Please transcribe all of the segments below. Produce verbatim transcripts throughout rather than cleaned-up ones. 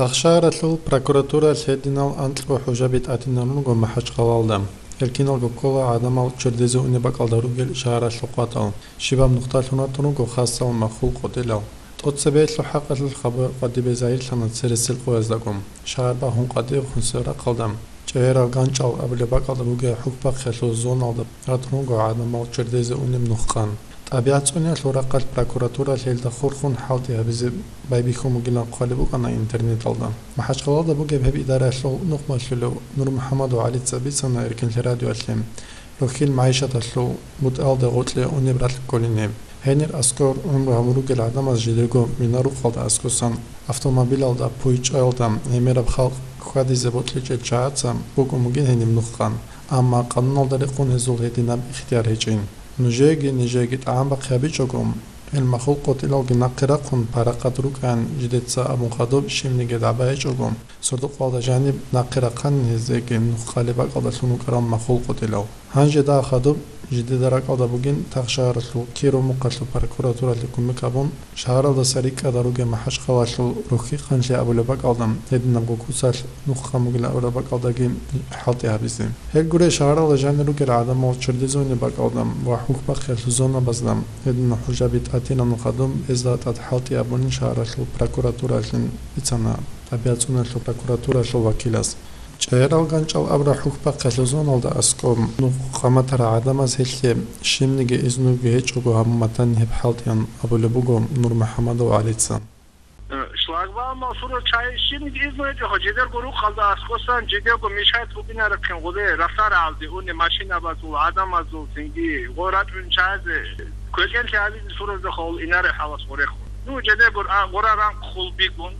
Ахшагьаралъул прокуратуралъ гьединал анкьго хӀужаби тӀадинан руго МахӀачхъалалда. Гьел киналго ккола гӀадамал чордезе унеб бакӀалда ругел шагьаралъул къватӀал. Щибаб нухталъун ратун руго хасал махул къотӀилал. ТӀоцебесеб хӀакъалъулъ хабар къватӀибе загьирлъана цересел къояздаго. Шагьар бахун къватӀиб хунсел рахъалда, ЧӀегьерал ГанчӀал абулеб бакӀалда ругел хӀухьбахъиялъул зоналда ратун руго гӀадамал чордезе унеб нух къан. ТӀабигӀат цӀуниялъул рахъалъ прокуратуралъ гьелда хурхун хӀалтӀи гьабизе байбихьун бугилан хъвалеб букӀана интернеталда. МахӀачхъалалда бугеб гьеб идараялъул нухмалъулев НурмухӀаммадов ГӀалица бицана Эркинлъи радиоялъе, рухьил магӀишаталъул бутӀалде гъоркье унеб ралъ кколин гьеб. Гьенир аскӀор гӀумру гьабун ругел гӀадамаз жидерго мина-рукъалда аскӀосан, автомобилалда, пуйчӀаялда гӀемераб халкъ хьвадизе бокьичӀел чагӀаца букӀун бугин гьениб нух къан, амма къануналда рекъон гьезул гьединаб ихтияр гьечӀин. Нужееги нижееги тӀагӀам бахъи гьабичӀого, гьел махул къотӀилалги нахъе рахъун парахъат рукӀаян жидеца абун хадуб щибниги дагӀба гьечӀого, сордо-къоялда жаниб нахъе рахъанин гьезеги нух къалеб бакӀалдалъун рукӀарал махул къотӀилал. Гьанже дагьа хадуб жидеда ракӀалда бугин Тахшагьаралъул Киров мухъалъул прокуратуралъе кумек гьабун, шагьаралдаса рикӀкӀада ругел МахӀачхъалалъул рухьи къанлъи абулеб бакӀалда, гьединабго куцалъ нух къан бугилан абураб бакӀалдаги хӀалтӀи гьабизе. Гьел гурей шагьаралда жанир ругел гӀадамал чордезе унеб бакӀалда ва хӀухьбахъиялъул зонабазда гьединал хӀужаби тӀадинабун хадуб гьезда тӀад хӀалтӀи абунин шагьаралъул прокуратуралъин бицана ТӀабигӀат цӀуниялъул прокуратуралъул вакилас. ЧӀегьерал ГанчӀал абураб хӀухьбахъиялъул зоналда аскӀоб нух къан батарал гӀадамаз гьелъе щибниги изнуги гьечӀого гьабун батани гьеб хӀалтӀиян абулеб буго НурмухӀаммадов ГӀалица. Э, шлагбаумал сурал чагӀи щибниги изну гьечӀоха, жидерго рукъалда аскӀосан, жидерго мешать бугинарехъин гъоле ралъарагӀалде уни машинабазул, гӀадамазул, цинги гъо рачӀун чагӀазе квекӀенлъи гьабизе суразда хъул инаре хӀалас гъорехун. Ну, жидерго а, гъора ранхъ хъул бигун,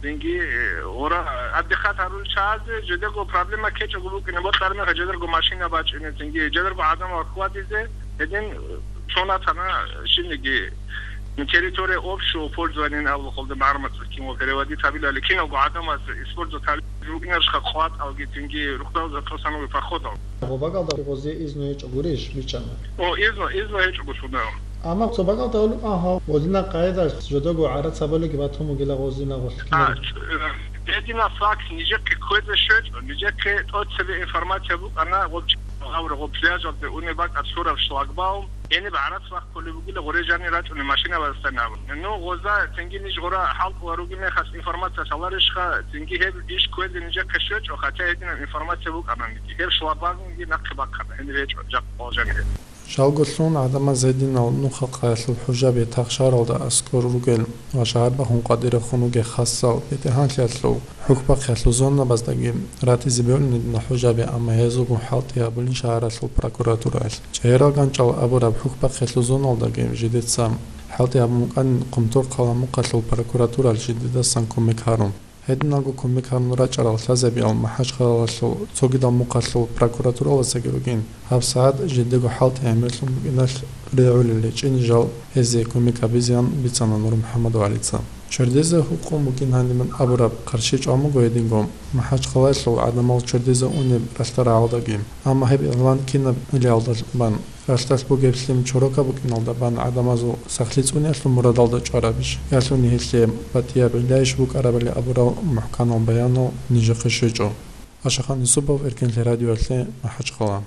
цинги, э, гъора отдыхать гьарулел чагӀазе, жидерго проблема ккечӀого букӀине бокьараб мехалъ, жидерго машина бачӀине, цинги жидерго гӀадамал хьвадизе, гьедин, э, цонатана щибниги, ну, территория общего пользования абулхъулда магӀармацӀ кино переводить гьабилали, киналго гӀадамаз использовать гьабизе букӀинарищха къватӀалги, цинги рухъдал затӀосануги походал. Гъо бакӀалда гъозе изну гьечӀо гурищ, бичӀчӀана? О, изну, изну гьечӀого сунав. Амма цо бакӀалда гьолукъан гьав гъозина къайдалъ жодого гӀарацабалиги батун бугила гъозина гъолъ А, кинаб. Гьединаб факт нижехъе кквезе щвечӀо, нижехъе тӀоцебе информация букӀана гъоб чи-, гъаб-, гъоб пляжалде унеб бакӀалъ лъураб шлагбаум, гьениб гӀарац бахъулеб бугила гъоре жанир рачӀунеб машинабазда абун. Ну, гъоза цинги ниж гъора хӀалтӀула ругеб мехалъ информация лъаларищха, цинги гьеб иш кквезе нижехъе щвечӀо, хотя гьединаб информация букӀана, гьеб шлагбаумги нахъе бахъана, гьениб гьечӀо жакъа жанир. Жалго лъун гӀадамаз гьединал нухалъ къаялъул хӀужаби Тахшагьаралда аскӀор ругел ва шагьар бахун къватӀирехун ругел хасал бетӀергьанлъиялъул хӀухьбахъиялъул зонабаздаги ратизе бегьулин гьединал хӀужаби, амма гьезулгун хӀалтӀи гьабулин шагьаралъул прокуратураялъ. ЧӀегьерал ГанчӀал абураб хӀухьбахъиялъул зоналдаги жидеца хӀалтӀи гьабун букӀанин Хъумторхъала мухъалъул прокуратураялъ жидедасан кумек гьарун. Гьединалго кумек гьабун рачӀарал лъазабиял МахӀачхъалалъул цогидал мухъалъул прокуратуралдасаги ругин, гьабсагӀат жидего хӀалтӀи гӀемерлъун букӀиналъ регӀулел гьечӀин жал гьезие кумек гьабизеян бицана НурмухӀаммадов ГӀалица. Чордезе гьукъун букӀин гьанибан абураб хъарщи чӀван буго гьединго МахӀачхъалалъул гӀадамал чордезе унеб ралъдал рагӀалдаги, амма гьеб игълан кинаб илиялда бан, ралъдалъ бугеб лъим чорока букӀиналда бан гӀадамазул сахлъи цӀуниялъул мурадалда чӀварабищ, ялъуни гьелъие батӀияб гӀилаищ букӀарабали абурал мухӀканал баянал нижехъе щвечӀо. Ашахан Юсупов, Эркинлъи радиоялъе, МахӀачхъала.